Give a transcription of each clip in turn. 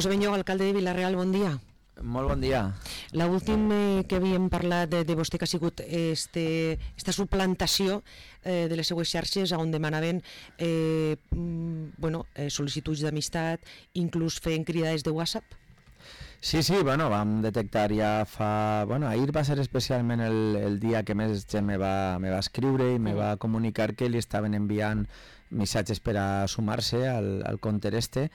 José Benlloc, alcalde de Vila-real, bon dia. Molt bon dia. L'últim que havíem parlat de vostè que ha sigut esta suplantació de les seues xarxes on demanaven sol·licituds d'amistat, inclús feien cridades de WhatsApp. Sí, vam detectar ja fa... ahir va ser especialment el dia que més gent me va escriure i me va comunicar que li estaven enviant missatges per a sumar-se al compte este,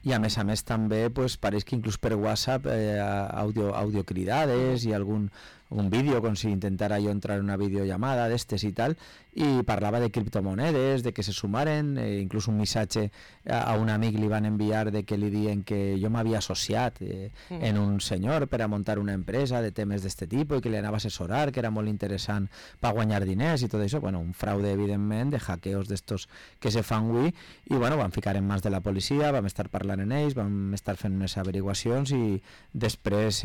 i a més també pareix que inclús per WhatsApp audiocridades i algun vídeo, com si intentara jo entrar en una videollamada d'estes i tal, i parlava de criptomonedes, de que se sumaren, inclús un missatge a un amic li van enviar de que li diuen que jo m'havia associat en un senyor per a muntar una empresa de temes d'este tipus i que li anava a assessorar, que era molt interessant per guanyar diners i tot això, un fraude evidentment de hackeos d'estos que se fan avui, i vam ficar en mans de la policia, vam estar parlant en ells, vam estar fent unes averiguacions i després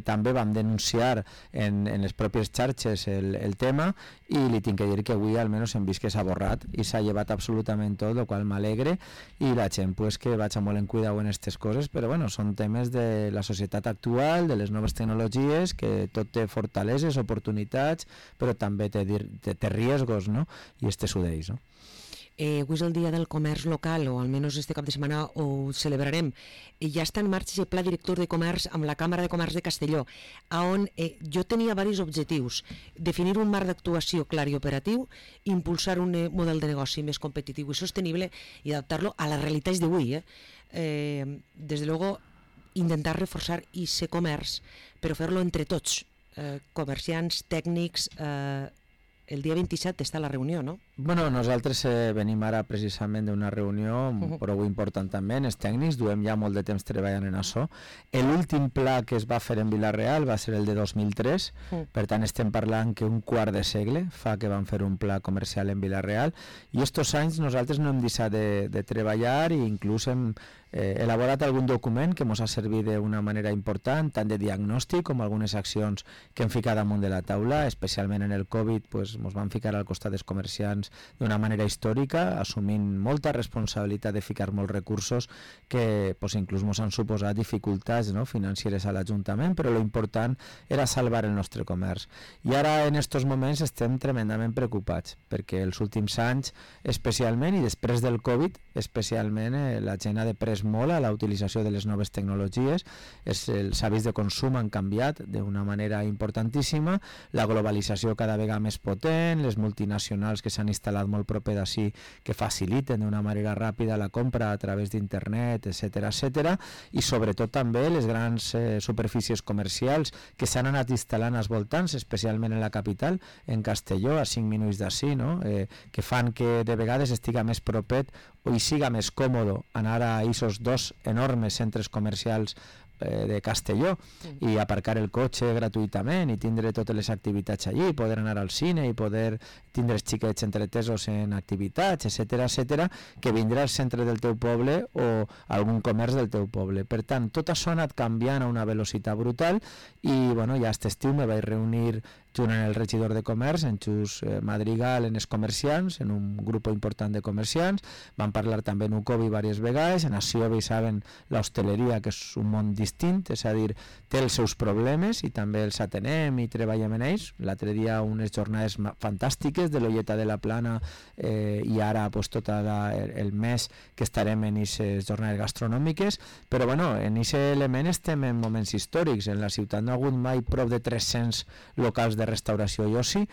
també vam denunciar en les pròpies xarxes el tema, i li tinc que dir que avui almenys hem vist que s'ha borrat i s'ha llevat absolutament tot, el qual m'alegre, i la gent que vaig molt en cuidau en aquestes coses, però són temes de la societat actual, de les noves tecnologies, que tot té fortaleses, oportunitats, però també té riesgos, no? I este és un d'ells, no? Avui és el dia del comerç local, o almenys este cap de setmana ho celebrarem. Ja està en marxa el pla director de comerç amb la Càmera de Comerç de Castelló, on jo tenia diversos objectius: definir un marc d'actuació clar i operatiu, impulsar un model de negoci més competitiu i sostenible i adaptar-lo a les realitats d'avui. Des de luego, intentar reforçar ese comerç, però fer-lo entre tots, comerciants, tècnics. El dia 27 està la reunió, no? Nosaltres venim ara precisament d'una reunió prou important també, els tècnics, duem ja molt de temps treballant en això. L'últim pla que es va fer en Vila-real va ser el de 2003, per tant estem parlant que un quart de segle fa que vam fer un pla comercial en Vila-real, i estos anys nosaltres no hem deixat de treballar, i inclús hem elaborat algun document que ens ha servit d'una manera important, tant de diagnòstic com algunes accions que hem ficat damunt de la taula, especialment en el Covid, ens vam ficar al costat dels comerciants d'una manera històrica, assumint molta responsabilitat de ficar molts recursos que inclús ens han suposat dificultats financeres a l'Ajuntament, però l'important era salvar el nostre comerç. I ara en aquests moments estem tremendament preocupats, perquè els últims anys especialment, i després del Covid especialment, la gent ha deprès molt a la utilització de les noves tecnologies, els hàbits de consum han canviat d'una manera importantíssima, la globalització cada vegada més potent, les multinacionals que s'han instal·lat molt proper d'ací, que faciliten d'una manera ràpida la compra a través d'internet, etc., i sobretot també les grans superfícies comercials que s'han anat instal·lant als voltants, especialment en la capital, en Castelló, a 5 minuts d'ací, que fan que de vegades estiga més propet o hi siga més còmode anar a aquests dos enormes centres comercials de Castelló i aparcar el cotxe gratuïtament i tindre totes les activitats allí, poder anar al cine i poder tindre els xiquets entretesos en activitats, etc., que vindrà al centre del teu poble o algun comerç del teu poble. Per tant, tot això ha anat canviant a una velocitat brutal, i ja aquest estiu me vaig reunir junt amb el regidor de comerç, en Xus Madrigal, en els comerciants, en un grup important de comerciants. Vam parlar també en Ucovi diverses vegades. En Aciobi saben l'hostaleria, que és un món distint, és a dir, té els seus problemes i també els atenem i treballem en ells. L'altre dia unes jornades fantàstiques de l'Olleta de la Plana, i ara tot el mes que estarem en aquestes jornades gastronòmiques, però en aquest element estem en moments històrics. En la ciutat no ha hagut mai prop de 300 locals de restauració i oci.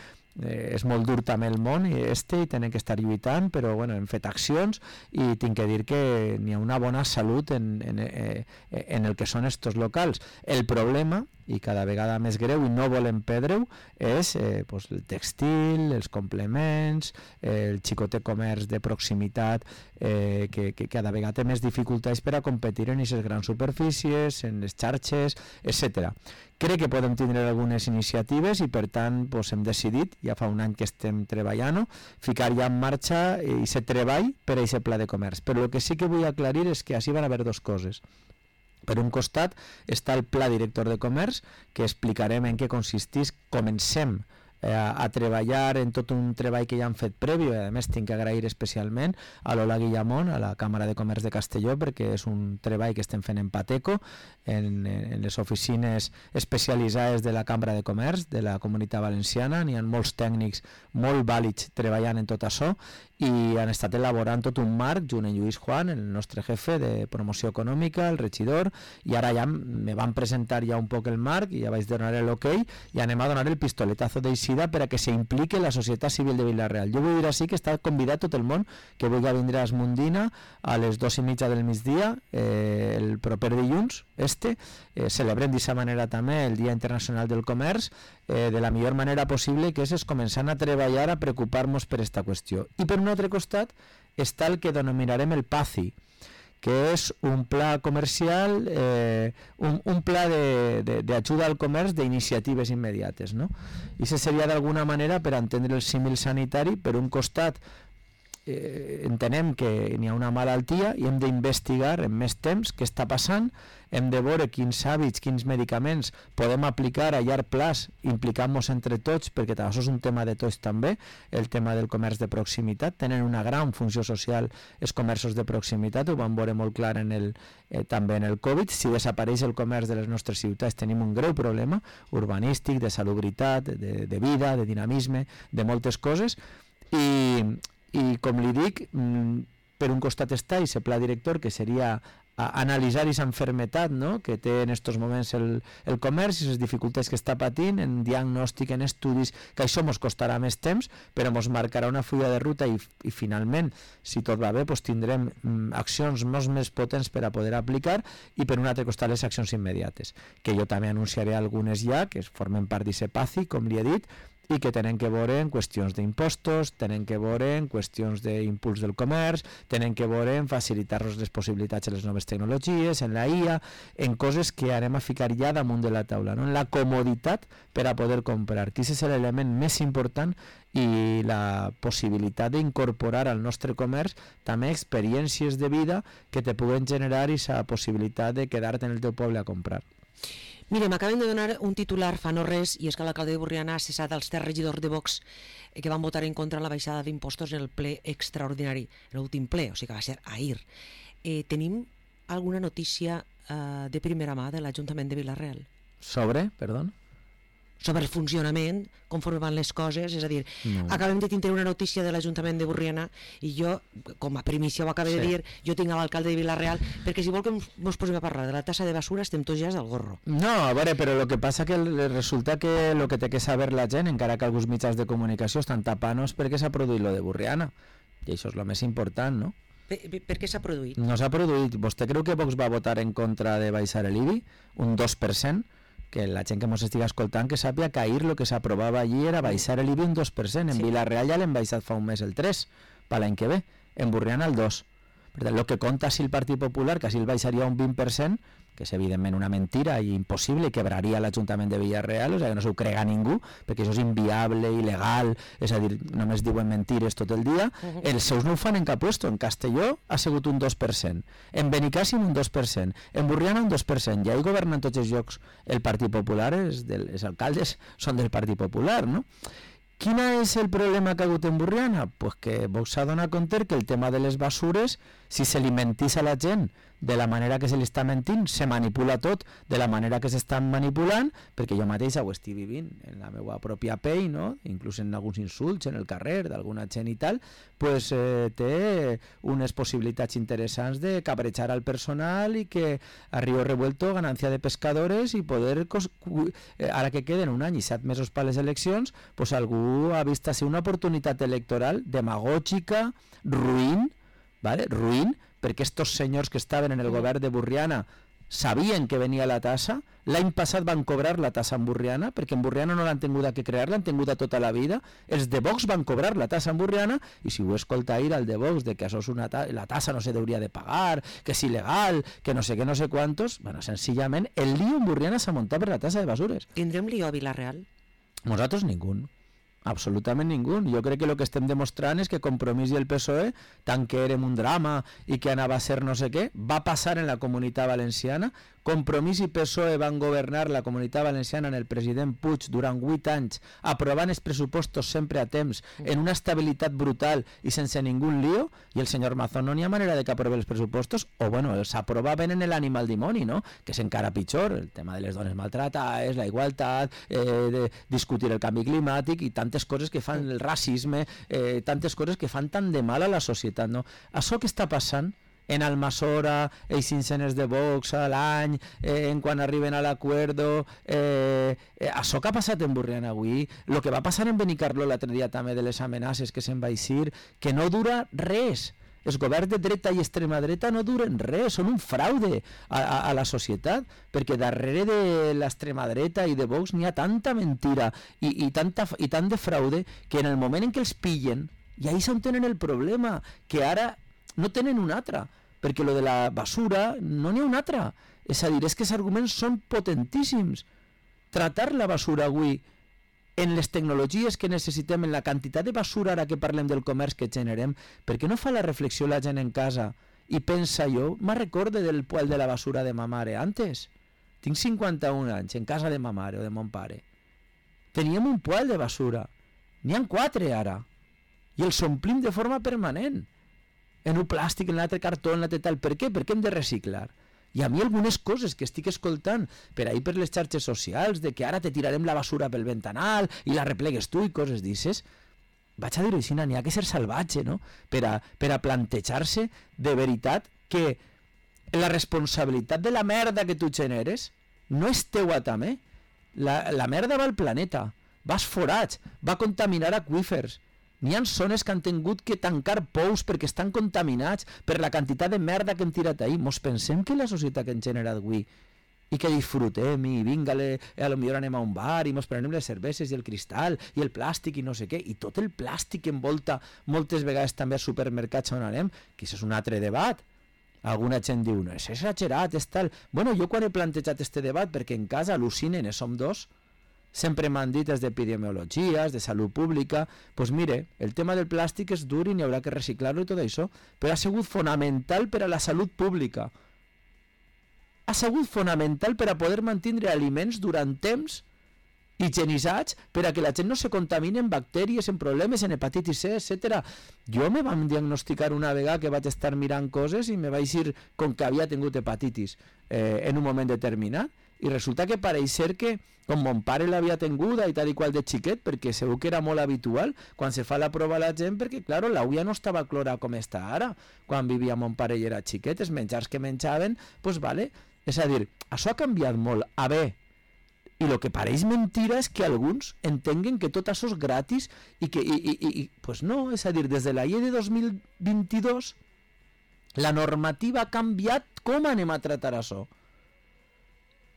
És molt dur també el món i tenen que estar lluitant, però hem fet accions i tinc que dir que n'hi ha una bona salut en el que són estos locals. El problema, i cada vegada més greu i no volem perdre-ho, és el tèxtil, els complements, el xicotet comerç de proximitat, que cada vegada té més dificultats per a competir en aquestes grans superfícies, en les xarxes, etc. Crec que podem tindre algunes iniciatives i per tant hem decidit, ja fa un any que estem treballant, ficar ja en marxa aquest treball per a aquest pla de comerç. Però el que sí que vull aclarir és que així van haver dues coses. Per un costat està el pla director de comerç, que explicarem en què consisteix. Comencem a treballar en tot un treball que ja han fet previ. A més, tinc que agrair especialment a l'Ola Guillamón, a la Càmera de Comerç de Castelló, perquè és un treball que estem fent en Pateco, en les oficines especialitzades de la Cambra de Comerç de la Comunitat Valenciana. N'hi ha molts tècnics molt vàlids treballant en tot això i han estat elaborant tot un marc junt amb Lluís Juan, el nostre jefe de promoció econòmica, el regidor, i ara ja me van presentar ja un poc el marc i ja vaig donar l'ok i anem a donar el pistoletazo d'eixida per a que s'implique la societat civil de Vila-real. Jo vull dir així que està convidat tot el món que vulgui vindre a Esmundina a les 2:30 del migdia el proper dilluns. Celebrem d'aquesta manera també el Dia Internacional del Comerç de la millor manera possible, que és començant a treballar, a preocupar-nos per aquesta qüestió. I per un altre costat està el que denominarem el PACI, que és un pla comercial, un pla d'ajuda al comerç d'iniciatives immediates, no? I això seria d'alguna manera, per entendre el símil sanitari, per un costat entenem que n'hi ha una malaltia i hem d'investigar en més temps què està passant, hem de veure quins hàbits, quins medicaments podem aplicar a llarg plaç, implicant-nos entre tots, perquè això és un tema de tots també, el tema del comerç de proximitat. Tenen una gran funció social els comerços de proximitat, ho vam veure molt clar també en el Covid. Si desapareix el comerç de les nostres ciutats tenim un greu problema urbanístic, de salubritat, de vida, de dinamisme, de moltes coses, i com li dic, per un costat està aquest pla director, que seria analitzar aquesta enfermetat, no?, que té en aquests moments el comerç i les dificultats que està patint en diagnòstic, en estudis, que això ens costarà més temps, però ens marcarà una fulla de ruta i finalment, si tot va bé, doncs tindrem accions molt més potents per a poder aplicar, i per un altre costat les accions immediates, que jo també anunciaré algunes ja, que formen part d'aquest PACI, com li he dit, i que tenen que veure en qüestions d'impostos, tenen que veure en qüestions d'impuls del comerç, tenen que veure en facilitar-nos les possibilitats de les noves tecnologies, en la IA, en coses que anem a ficar ja damunt de la taula, no? En la comoditat per a poder comprar, que és l'element més important, i la possibilitat d'incorporar al nostre comerç també experiències de vida que te puguen generar aquesta possibilitat de quedar-te en el teu poble a comprar. Mira, m'acaben de donar un titular fa no res, i és que l'alcalde de Borriana ha cessat els 3 regidors de Vox que van votar en contra la baixada d'impostos en el ple extraordinari, l'últim ple, o sigui que va ser ahir. Tenim alguna notícia de primera mà de l'Ajuntament de Vila-real? Sobre el funcionament, conforme van les coses, és a dir, acabem de tindre una notícia de l'Ajuntament de Borriana i jo, com a primícia ho acabo de dir, jo tinc a l'alcalde de Vila-real, perquè si vol que ens posem a parlar de la tassa de basura estem tots ja del gorro. No, a veure, però el que passa que resulta que el que té que saber la gent, encara que alguns mitjans de comunicació estan tapant-nos perquè s'ha produït lo de Borriana, i això és el més important, no? Per què s'ha produït? No s'ha produït. Vostè creu que Vox va votar en contra de baixar l'IBI? Un 2%? Que la gent que ens estigui escoltant que sàpiga que ahir el que s'aprovava allí era baixar l'IBI un 2%. En Vila-real ja l'hem baixat fa un mes el 3%, per l'any que ve. En Borriana el 2%. Per tant, el que compta si el Partit Popular, que si el baixaria un 20%, que és evidentment una mentira i impossible, i quebraria l'Ajuntament de Vila-real, o sigui que no s'ho crega ningú, perquè això és inviable, il·legal, és a dir, només diuen mentires tot el dia. Els seus no ho fan en cap puesto. En Castelló ha sigut un 2%, en Benicàssim un 2%, en Borriana un 2%, i ahí governen tots els llocs el Partit Popular, els alcaldes són del Partit Popular, no? Quin és el problema que ha hagut en Borriana? Pues que Vox s'ha donat compte que el tema de les basures, si se li mentís a la gent de la manera que se li està mentint, se manipula tot de la manera que s'estan manipulant, perquè jo mateix ho estic vivint en la meva pròpia pell, no? Inclús en alguns insults en el carrer d'alguna gent i tal, pues té unes possibilitats interessants de cabrejar al personal i que a Río Revuelto ganancia de pescadores i poder, ara que queden un any i 7 mesos per les eleccions, pues algú ha vist ser una oportunitat electoral demagògica, ruïn, ¿vale? Ruïn, perquè estos senyors que estaven en el govern de Borriana sabien que venia la tassa. L'any passat van cobrar la tassa en Borriana, perquè en Borriana no l'han tingut que crear, l'han tingut tota la vida. Els de Vox van cobrar la tassa en Borriana, i si ho escolta ahir al de Vox de que això és la tassa no se hauria de pagar, que és il·legal, que no sé què, no sé quantos, bueno, senzillament el lío en Borriana s'ha muntat per la tassa de basures. Tindrem lío a Vila-real? Nosaltres ningú. Absolutament ningú. Jo crec que el que estem demostrant és que Compromís i el PSOE, tant que érem un drama i que anava a ser no sé què, va passar en la Comunitat Valenciana Compromís i PSOE van governar la Comunitat Valenciana en el president Puig durant 8 anys, aprovant els pressupostos sempre a temps, en una estabilitat brutal i sense ningú lío, i el senyor Mazón no n'hi ha manera de que aprove els pressupostos, o bueno, els aprovaven en l'ànima al dimoni, no? Que és encara pitjor, el tema de les dones maltratades, la igualtat, de discutir el canvi climàtic i tantes coses que fan el racisme, tantes coses que fan tan de mal a la societat, no? Això que està passant en Almassora, els cincenes de Vox a l'any, en quan arriben a l'acuerdo, això que ha passat en Burriana avui, el que va passar en Benicarló l'altre dia també de les amenaces que se'n va eixir, que no dura res. Els governs de dreta i extrema dreta no duren res, són un fraude a la societat, perquè darrere de l'extrema dreta i de Vox n'hi ha tanta mentira i tant de fraude que en el moment en què els pillen, i ahí s'on tenen el problema, que ara no tenen un altre, perquè lo de la basura no n'hi ha un altre. És a dir, és que els arguments són potentíssims. Tratar la basura avui en les tecnologies que necessitem, en la quantitat de basura ara que parlem del comerç que generem, per què no fa la reflexió la gent en casa i pensa jo, me recorde del poal de la basura de ma mare antes? Tinc 51 anys, en casa de ma mare o de mon pare. Teníem un poal de basura. N'hi ha 4 ara. I els omplim de forma permanent. En un plàstic, en l'altre cartó, en l'altre tal. Per què? Perquè hem de reciclar. I a mi algunes coses que estic escoltant per ahir per les xarxes socials, de que ara te tirarem la basura pel ventanal i la replegues tu i coses d'ixes, vaig a dir així, n'hi ha que ser salvatge, no? Per a plantejar-se de veritat que la responsabilitat de la merda que tu generes no és teua també. La merda va al planeta, va als forats, va a contaminar aqüífers. N'hi ha zones que han tingut que tancar pous perquè estan contaminats per la quantitat de merda que hem tirat ahir. Mos pensem que la societat que hem generat avui i que disfrutem i vinga, a lo millor anem a un bar i mos prenem les cerveses i el cristal i el plàstic i no sé què, i tot el plàstic que envolta moltes vegades també als supermercats on anem, que això és un altre debat. Alguna gent diu, no, és exagerat, és tal. Bueno, jo quan he plantejat este debat, perquè en casa al·lucinen, som dos, sempre m'han dit des d'epidemiologia, de salut pública, doncs mire, el tema del plàstic és dur i n'hi haurà que reciclar-lo i tot això, però ha sigut fonamental per a la salut pública. Ha sigut fonamental per a poder mantenir aliments durant temps higienitzats per a que la gent no se contamini en bactèries, en problemes, en hepatitis C, etc. Jo me vam diagnosticar una vegada que vaig estar mirant coses i me vaig dir com que havia tingut hepatitis en un moment determinat, i resulta que pareix ser que com mon pare l'havia tinguda i tal i qual de xiquet, perquè segur que era molt habitual quan se fa la prova a la gent, perquè claro, l'ulla no estava clora com està ara quan vivia mon pare i era xiquet, els menjars que menjaven, doncs vale, és a dir, això ha canviat molt a bé, i el que pareix mentira és que alguns entenguen que tot això és gratis i que, pues no, és a dir, des de la llei de 2022 la normativa ha canviat com anem a tratar això.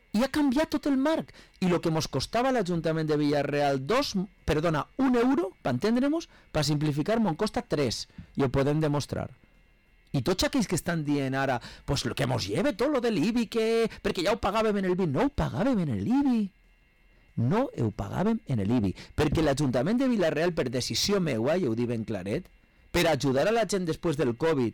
I ha canviat tot el marc. I el que ens costava a l'Ajuntament de Villarreal 1 euro, per entendre-nos, per simplificar, ens costa 3, i ho podem demostrar. I tots aquells que estan dient ara, pues lo que ens lleve tot lo de l'IBI, perquè ja ho pagàvem en el IBI. No ho pagàvem en l'IBI. No ho pagàvem en l'IBI. Perquè l'Ajuntament de Villarreal, per decisió meua, i ho dic ben claret, per ajudar a la gent després del Covid,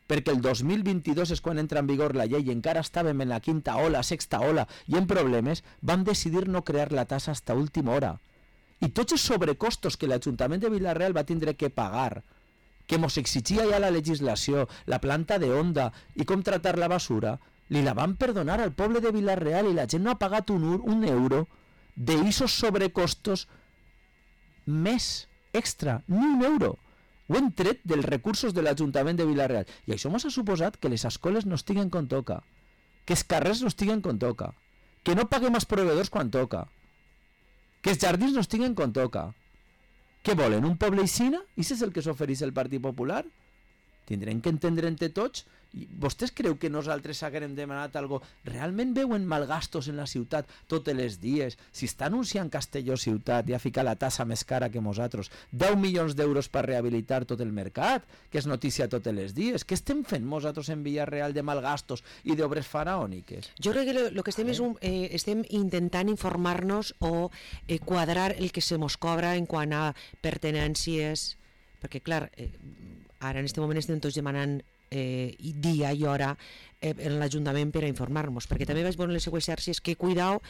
perquè el 2022 és quan entra en vigor la llei i encara estàvem en la 5ª ola, 6ª ola i en problemes, vam decidir no crear la tassa fins a última hora. I tots els sobrecostos que l'Ajuntament de Villarreal va tindre que pagar, que ens exigia ja la legislació, la planta de onda i com tratar la basura, li la van perdonar al poble de Villarreal i la gent no ha pagat un euro d'eixos sobrecostos més extra, ni un euro. Ho hem tret dels recursos de l'Ajuntament de Villarreal. I això ens ha suposat que les escoles no estiguen com toca, que els carrers no estiguen com toca, que no paguem els proveïdors quan toca, que els jardins no estiguen com toca. Què volen, un poble aixina? I és el que s'ofereix el Partit Popular? Tindrem que entendre entre tots. I vostès creu que nosaltres haguem demanat algo? Realment veuen malgastos en la ciutat tots els dies? Si està anunciant Castelló ciutat i ha ficat la tassa més cara que nosaltres, 10 milions d'euros per rehabilitar tot el mercat, que és notícia tots els dies, què estem fent nosaltres en Villarreal de malgastos i d'obres faraòniques? Jo crec que el que estem és estem intentant informar-nos o quadrar el que se mos cobra en quant a pertenències, perquè clar, ara en aquest moment estem tots demanant dia i hora en l'Ajuntament per a informar-nos, perquè també vaig veure en les seues xarxes que, cuidao,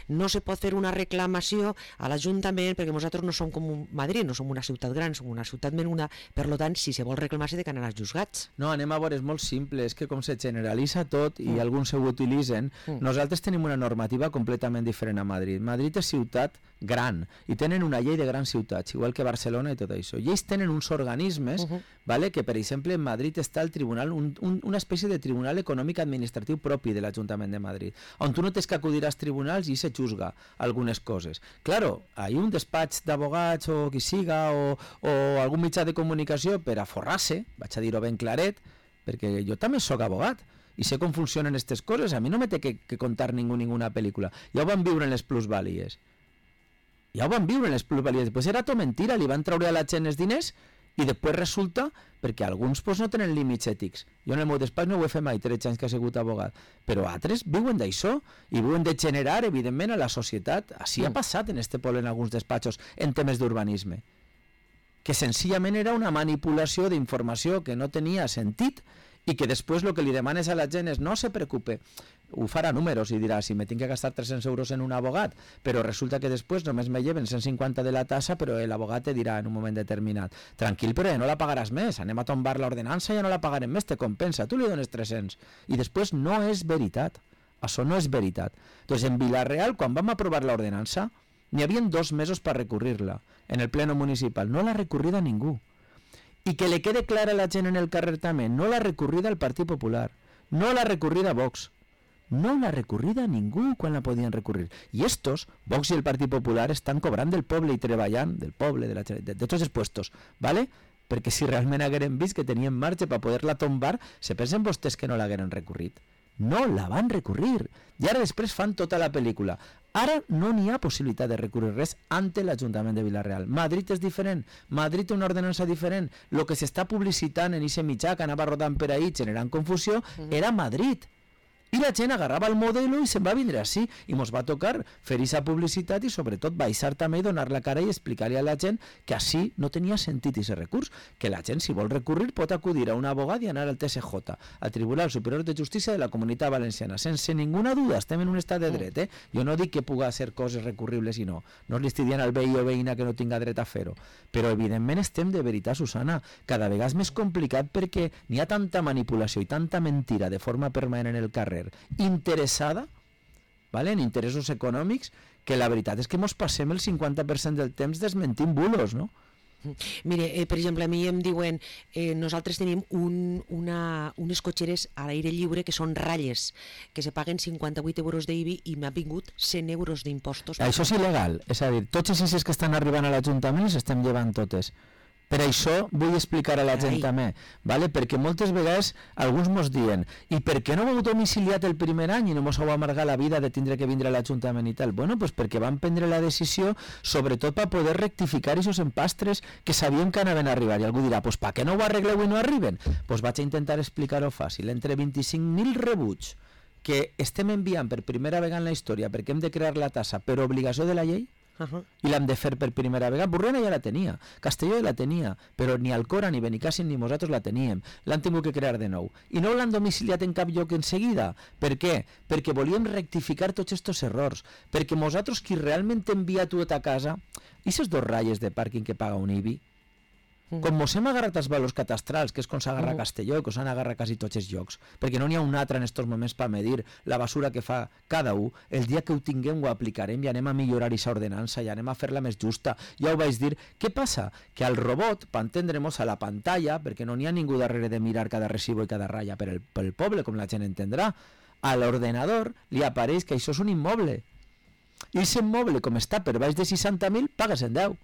no se pot fer una reclamació a l'Ajuntament perquè nosaltres no som com Madrid, no som una ciutat gran, som una ciutat menuda, per tant, si se vol reclamar s'ha d'anar als juzgats. No, anem a veure, és molt simple, és que com se generalitza tot i alguns ho utilitzen, nosaltres tenim una normativa completament diferent a Madrid. Madrid és ciutat gran i tenen una llei de grans ciutats, igual que Barcelona i tot això. I ells tenen uns organismes, vale, que per exemple en Madrid està el tribunal, una espècie de tribunal econòmic administratiu propi de l'Ajuntament de Madrid, on tu no tens que acudir als tribunals i se juzga algunes coses. Claro, hi ha un despatx d'abogats o qui siga o algun mitjà de comunicació per a forrar-se, vaig a dir-ho ben claret, perquè jo també sóc abogat i sé com funcionen aquestes coses, a mi no me té que contar ninguna pel·lícula. Ja ho van viure en les plusvàlies. Ja ho van viure en les plusvàlies. Després era tot mentira, li van treure a la gent els diners i després resulta, perquè alguns pues, no tenen límits ètics. Jo en el meu despatx no ho he fet mai, 13 anys que he sigut abogat, però altres viuen d'això i viuen de generar, evidentment, a la societat. Així ha passat en este poble en alguns despatxos en temes d'urbanisme, que senzillament era una manipulació d'informació que no tenia sentit i que després el que li demanes a la gent és no se preocupe, ho farà números i dirà si me tinc que gastar 300 euros en un abogat, però resulta que després només me lleven 150 de la tassa, però l'abogat te dirà en un moment determinat tranquil, però ja no la pagaràs més, anem a tombar l'ordenança i ja no la pagarem més, te compensa, tu li dones 300 i després no és veritat, això no és veritat. Doncs en Vila-real, quan vam aprovar l'ordenança, n'hi havia 2 mesos per recurrir-la en el pleno municipal, no l'ha recorrida ningú. I que le quede clara a la gent en el carrer també, no l'ha recorrida al Partit Popular, no l'ha recorrida a Vox, no l'ha recorrida a ningú quan la podien recurrir. I estos, Vox i el Partit Popular, estan cobrant del poble i treballant del poble, de tots els puestos, ¿vale? Perquè si realment hagueren vist que tenien marge per poder-la tombar, se pensen vostès que no l'hagueren recurrit. No la van recurrir. I ara després fan tota la pel·lícula. Ara no n'hi ha possibilitat de recurrir res ante l'Ajuntament de Vila-real. Madrid és diferent. Madrid té una ordenança diferent. El que s'està publicitant en aquest mitjà que anava rodant per ahí generant confusió era Madrid. I la gent agarrava el modelo i se'n va vindre així. I mos va tocar fer aquesta publicitat i sobretot baixar també i donar la cara i explicar-li a la gent que així no tenia sentit aquest recurs. Que la gent, si vol recurrir, pot acudir a un abogat i anar al TSJ, al Tribunal Superior de Justícia de la Comunitat Valenciana. Sense ninguna duda, estem en un estat de dret. Jo no dic que puga ser coses recurribles i no. No li estic dient al veí o veïna que no tinga dret a fer-ho. Però evidentment estem de veritat, Susana, cada vegada és més complicat perquè n'hi ha tanta manipulació i tanta mentira de forma permanent en el carrer interessada, ¿vale? En interessos econòmics, que la veritat és que mos passem el 50% del temps desmentint bulos, no? Mire, per exemple, a mi em diuen nosaltres tenim unes cotxeres a l'aire lliure que són ratlles, que se paguen 58 euros d'IBI i m'ha vingut 100 euros d'impostos. Això és il·legal, és a dir, tots els ICs que estan arribant a l'Ajuntament els estem llevant totes. Per això vull explicar a la gent també, ¿vale? Perquè moltes vegades alguns mos diuen i per què no ho heu domiciliat el primer any i no mos heu amargat la vida de tindre que vindre a l'Ajuntament i tal? Bueno, pues perquè van prendre la decisió sobretot per poder rectificar aquests empastres que sabíem que anaven a arribar. I algú dirà, pues per què no ho arregleu i no arriben? Pues vaig a intentar explicar-ho fàcil. Entre 25.000 rebuts que estem enviant per primera vegada en la història perquè hem de crear la tassa per obligació de la llei, i l'hem de fer per primera vegada. Burriana ja la tenia, Castelló ja la tenia, però ni Alcora, ni Benicàssim, ni nosaltres la teníem. L'han tingut que crear de nou. I no l'han domiciliat en cap lloc en seguida. Per què? Perquè volíem rectificar tots aquests errors. Perquè nosaltres, qui realment envia tot a casa, i aquestes 2 ratlles de pàrquing que paga un IBI, com mos hem agarrat els valors catastrals, que és com s'agarra Castelló, que s'han agarrat quasi tots els llocs, perquè no n'hi ha un altre en aquests moments per medir la basura que fa cada un, el dia que ho tinguem ho aplicarem i anem a millorar aquesta ordenança i anem a fer-la més justa. Ja ho vaig dir. Què passa? Que al robot, per entendre'ns, a la pantalla, perquè no n'hi ha ningú darrere de mirar cada recibo i cada ratlla pel poble, com la gent entendrà, a l'ordenador li apareix que això és un immoble. I aquest immoble, com està per baix de 60.000, paga 110.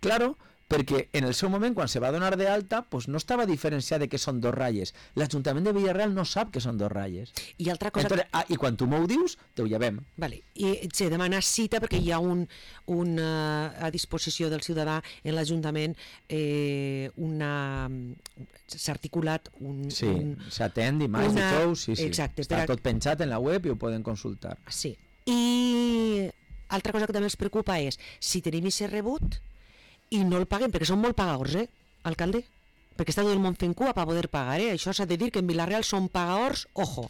Claro, perquè en el seu moment, quan se va donar d'alta, pues no estava diferenciat de que són 2 ratlles. L'Ajuntament de Vila-real no sap que són 2 ratlles. I altra cosa... Entonces, i quan tu m'ho dius, te ho llevem. Vale. I se demana cita perquè hi ha a disposició del ciutadà en l'Ajuntament s'ha articulat Sí, s'atén dimarts i tous, sí. Exacte. Està tot penjat en la web i ho poden consultar. Sí. I altra cosa que també ens preocupa és si tenim aquest rebut i no el paguem, perquè són molt pagadors, alcalde? perquè està tot el món fent cua per poder pagar, Això s'ha de dir que en Vila-real són pagadors, ojo.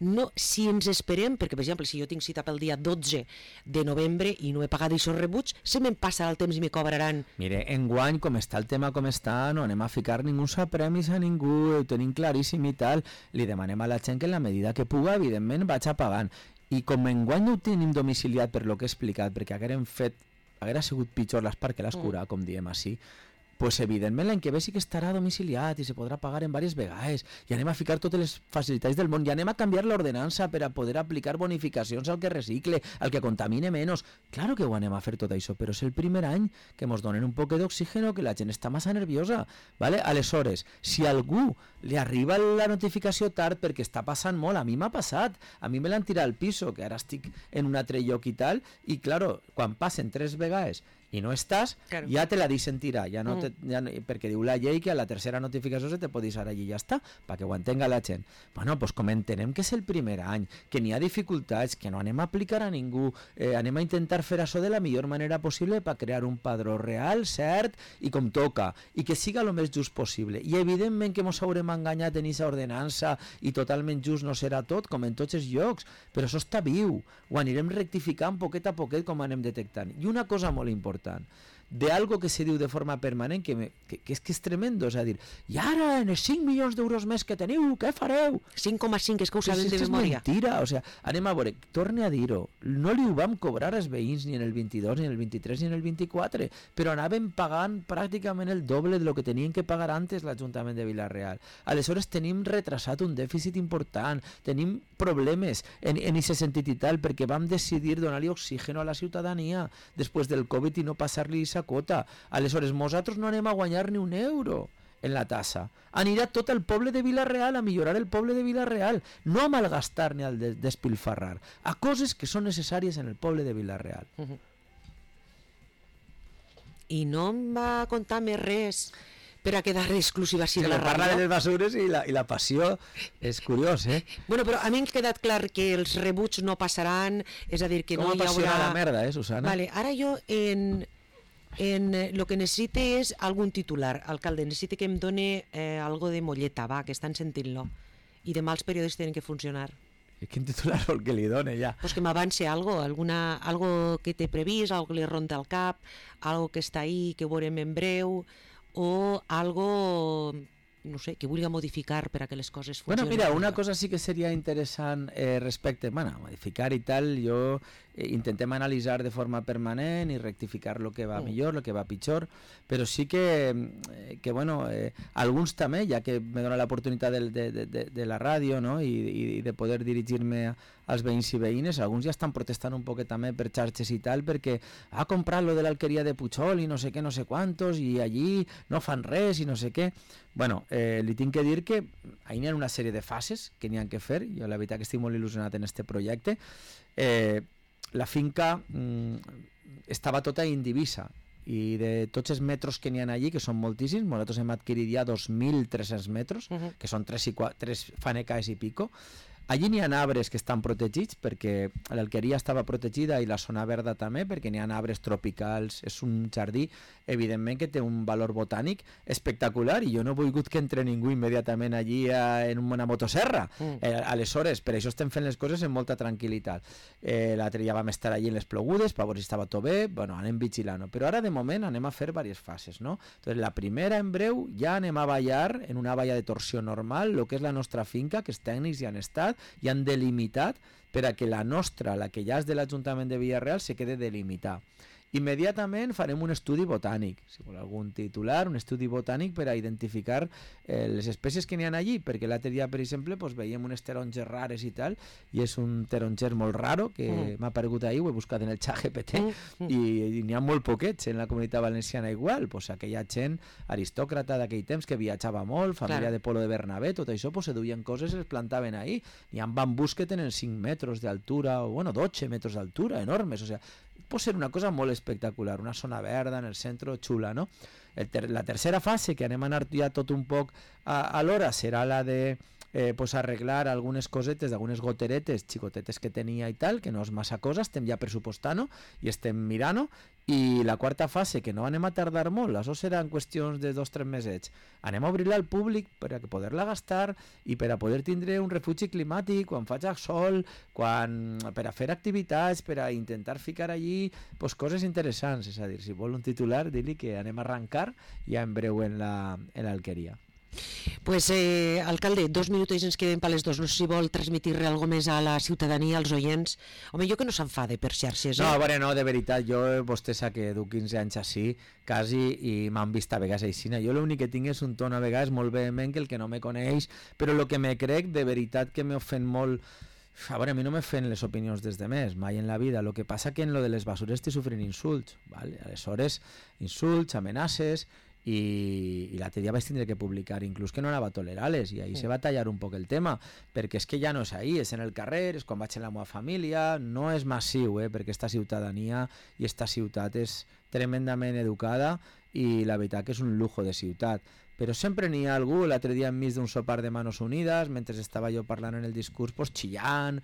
No, si ens esperem, perquè per exemple si jo tinc cita pel dia 12 de novembre i no he pagat aquests rebuts, se me'n passarà el temps i me cobraran. Mire, enguany, com està el tema com està, no anem a ficar ningú premis a ningú, ho tenim claríssim i tal, li demanem a la gent que en la medida que puga, evidentment, vaig a pagant. I com enguany no ho tenim domiciliat per lo que he explicat, perquè haguera sigut pitjor l'espart que l'escura, com diem així, pues evidentment l'any que ve sí que estarà domiciliat i se podrà pagar en diverses vegades i anem a ficar totes les facilitats del món i anem a canviar l'ordenança per a poder aplicar bonificacions al que recicle, al que contamine menys. Claro que ho anem a fer tot això, però és el primer any que ens donen un poc d'oxígeno, que la gent està massa nerviosa, ¿vale? Aleshores, si a algú li arriba la notificació tard perquè està passant molt, a mi m'ha passat, a mi me l'han tirat al piso, que ara estic en un altre lloc i tal, i claro, quan passen 3 vegades i no estàs, claro, ja te la deixen tirar, ja no perquè diu la llei que a la tercera notificació se te pot deixar allí i ja està, perquè ho entenga la gent. Bueno, pues com entenem que és el primer any, que n'hi ha dificultats, que no anem a aplicar a ningú, anem a intentar fer això de la millor manera possible per crear un padró real, cert, i com toca, i que siga el més just possible. I evidentment que ens haurem enganyat en aquesta ordenança i totalment just no serà tot, com en tots els llocs, però això està viu, ho anirem rectificant poquet a poquet com anem detectant. I una cosa molt important, de algo que se diu de forma permanent que és tremendo, és a dir, i ara en els 5 milions d'euros més que teniu, què fareu? 5,5, és que ho sabem de memòria. És mentira, o sigui, anem a veure, torne a dir-ho, no li ho vam cobrar als veïns ni en el 22, ni en el 23, ni en el 24, però anàvem pagant pràcticament el doble de lo que tenien que pagar antes l'Ajuntament de Vila-real. Aleshores tenim retrasat un dèficit important, tenim problemes en aquest sentit i tal, perquè vam decidir donar-li oxígeno a la ciutadania després del Covid i no passar-li aquesta quota. Aleshores, nosaltres no anem a guanyar ni un euro en la tassa. Anirà tot el poble de Vila-real, a millorar el poble de Vila-real, no a malgastar ni a despilfarrar, a coses que són necessàries en el poble de Vila-real. I no em va contar més res per a quedar exclusiva així de la ràdio. Parla de les basures i la passió és curiós, Bueno, però a mi m'ha quedat clar que els rebuts no passaran, és a dir, que no hi haurà... Com apassiona la merda, Susana? Vale, ara jo lo que necessite és algun titular, alcalde, necessite que em doni algo de molleta, va, que estan sentint-lo. I demà els periodistes tenen que funcionar. Quin titular vol que li doni ja? Pues que m'avance algo que té previst, algo que li ronda al cap, algo que està ahí, que veurem en breu, o algo, no sé, que vulgui modificar per a que les coses funcionin. Bueno, mira, una cosa sí que seria interessant respecte, modificar i tal, jo intentem analitzar de forma permanent i rectificar el que va millor, el que va pitjor, però sí que bueno, alguns també, ja que me dona l'oportunitat de la ràdio, no? I de poder dirigir-me als veïns i veïnes, alguns ja estan protestant un poquet també per xarxes i tal, perquè ha comprat lo de l'alqueria de Puigol i no sé què, no sé quantos, i allí no fan res i no sé què. Bueno, li tinc que dir que ahí n'hi ha una sèrie de fases que n'hi ha que fer, jo la veritat que estic molt il·lusionat en este projecte. La finca estava tota indivisa i de tots els metres que n'hi ha allí, que són moltíssims, nosaltres hem adquirit ja 2.300 metres, que són 3 fanecaes i pico. Allí n'hi ha arbres que estan protegits perquè l'alqueria estava protegida i la zona verda també, perquè n'hi ha arbres tropicals, és un jardí evidentment que té un valor botànic espectacular i jo no he volgut que entre ningú immediatament allí en una motosserra. Aleshores, per això estem fent les coses amb molta tranquil·litat. L'altre dia vam estar allí en les plogudes per veure si estava tot bé, bueno, anem vigilant, però ara de moment anem a fer diverses fases, no? Entonces, la primera en breu ja anem a ballar en una valla de torsió normal el que és la nostra finca, que els tècnics ja han estat i han delimitat per a que la nostra, la que ja és de l'Ajuntament de Vila-real, se quede delimitar. Immediatament farem un estudi botànic, si vol algun titular, un estudi botànic per a identificar les espècies que n'hi ha allí, perquè l'altre dia, per exemple, veiem unes taronges rares i tal, i és un taronger molt raro que m'ha aparegut ahir, ho he buscat en el ChatGPT, i n'hi ha molt poquets en la comunitat valenciana igual, aquella gent aristòcrata d'aquell temps que viatjava molt, família de Polo de Bernabé, tot això, se duien coses i es plantaven ahir. N'hi ha bambús que tenen 5 metres d'altura, o 12 metres d'altura, enormes, o sigui, pot ser una cosa molt espectacular, una zona verda en el centre, xula, no? La tercera fase, que anem a anar ja tot un poc a l'hora, serà la de arreglar algunes cosetes d'algunes goteretes xicotetes que tenia i tal, que no és massa cosa, estem ja pressupostant-ho i estem mirant-ho, I la quarta fase, que no anem a tardar molt, això seran qüestions de 2 o 3 mesets, anem a obrir-la al públic per a poder-la gastar i per a poder tindre un refugi climàtic quan faig sol, per a fer activitats, per a intentar ficar allí pues, coses interessants. És a dir, si vol un titular, dir-li que anem a arrencar ja en breu en l'Alqueria. Pues, alcalde, 2 minuts ens queden per les 2. No sé si vol transmitir alguna més a la ciutadania, als oients. Home, jo que no s'enfade per xarxes. No, bueno, no, de veritat, jo, vostè sap que du 15 anys així, quasi, i m'han vist a vegades així. Jo l'únic que tinc és un ton a vegades molt vehement que el que no me coneix, però el que me crec, de veritat que m'ofèn molt. A veure, a mi no me fent les opinions des de més, mai en la vida. El que passa que en lo de les basures estic sofrint insults, ¿vale? Aleshores, insults, amenaces, i l'altre dia vaig tindre que publicar inclús que no anava a tolerar-les, i ahí se va tallar un poc el tema, perquè és que ja no és ahí, és en el carrer, és quan vaig en la meva família, no és massiu, perquè esta ciutadania i esta ciutat és tremendament educada i la veritat que és un lujo de ciutat. Però sempre n'hi ha algú, l'altre dia enmig d'un sopar de Manos Unides, mentre estava jo parlant en el discurs, pues xillant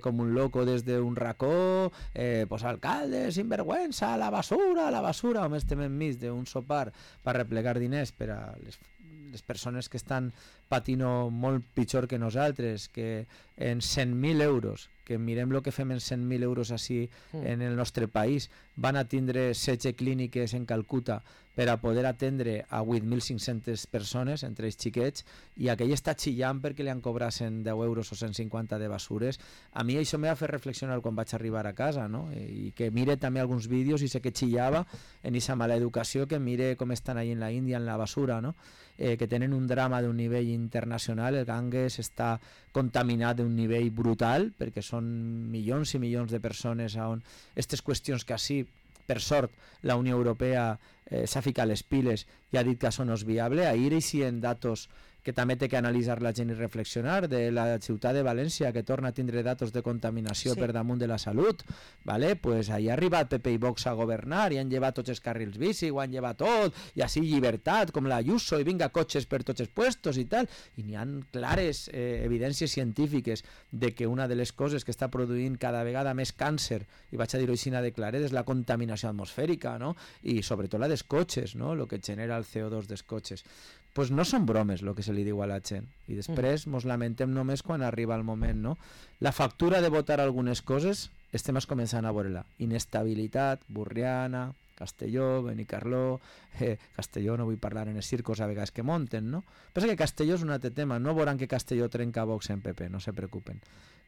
com un loco des d'un racó, pues alcalde, sinvergüenza, la basura, home, estem enmig d'un sopar per replegar diners per a les persones que estan patint molt pitjor que nosaltres, que en 100.000 euros, que mirem el que fem en 100.000 euros així en el nostre país, van a tindre 16 clíniques en Calcuta per a poder atendre a 8.500 persones, entre ells xiquets, i aquell està xillant perquè li han cobrat 110 euros o 150 de basures. A mi això m'ha fet reflexionar quan vaig arribar a casa, no? I que mire també alguns vídeos i sé que xillava en aquesta mala educació, que mire com estan ahí en la Índia en la basura, no? Que tenen un drama d'un nivell internacional, el Ganges està contaminat d'un nivell brutal, perquè són milions i milions de persones on aquestes qüestions que així, per sort, la Unió Europea s'ha ficat les piles i ha dit que això no és viable. Ahir eixien datos que també té que analitzar la gent i reflexionar, de la ciutat de València, que torna a tindre datos de contaminació per damunt de la salut, ¿vale? Pues ahí ha arribat PP i Vox a governar i han llevat tots els carrils bici, ho han llevat tot, i així llibertat, com la Ayuso, i vinga cotxes per tots els puestos i tal, i n'hi ha clares evidències científiques de que una de les coses que està produint cada vegada més càncer, i vaig a dir-ho així de claret, és la contaminació atmosfèrica, no? I sobretot la dels cotxes, no? El que genera el CO2 dels cotxes. Pues no són bromes el que se li diu a la gent, i després mos lamentem només quan arriba el moment, no? La factura de votar algunes coses estem començant a veure-la. Inestabilitat, Burriana, Castelló, Benicarló, Castelló no vull parlar en els circos a vegades que munten, no? Pensa que Castelló és un altre tema, no veuran que Castelló trenca Vox en PP, no se preocupen,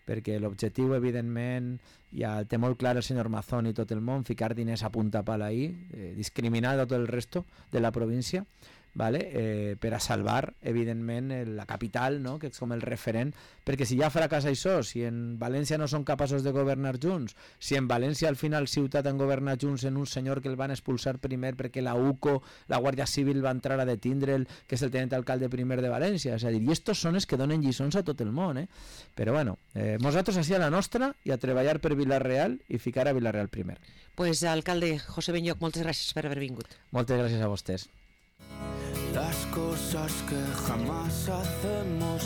perquè l'objectiu evidentment ja el té molt clar el senyor Mazón i tot el món, ficar diners a punta pala ahí, discriminar a tot el resto de la província, ¿vale? Per a salvar evidentment la capital, no? Que és com el referent, perquè si ja fracassa això, si en València no són capaços de governar junts, si en València al final ciutat han governat junts en un senyor que el van expulsar primer perquè la UCO, la Guàrdia Civil va entrar a detindre'l, que és el tenent alcalde primer de València, és a dir, i estos són els que donen lliçons a tot el món, però bueno, nosaltres així a la nostra i a treballar per Vila-real i ficar a Vila-real primer. Pues alcalde José Benlloch, moltes gràcies per haver vingut. Moltes gràcies a vostès. Las cosas que jamás hacemos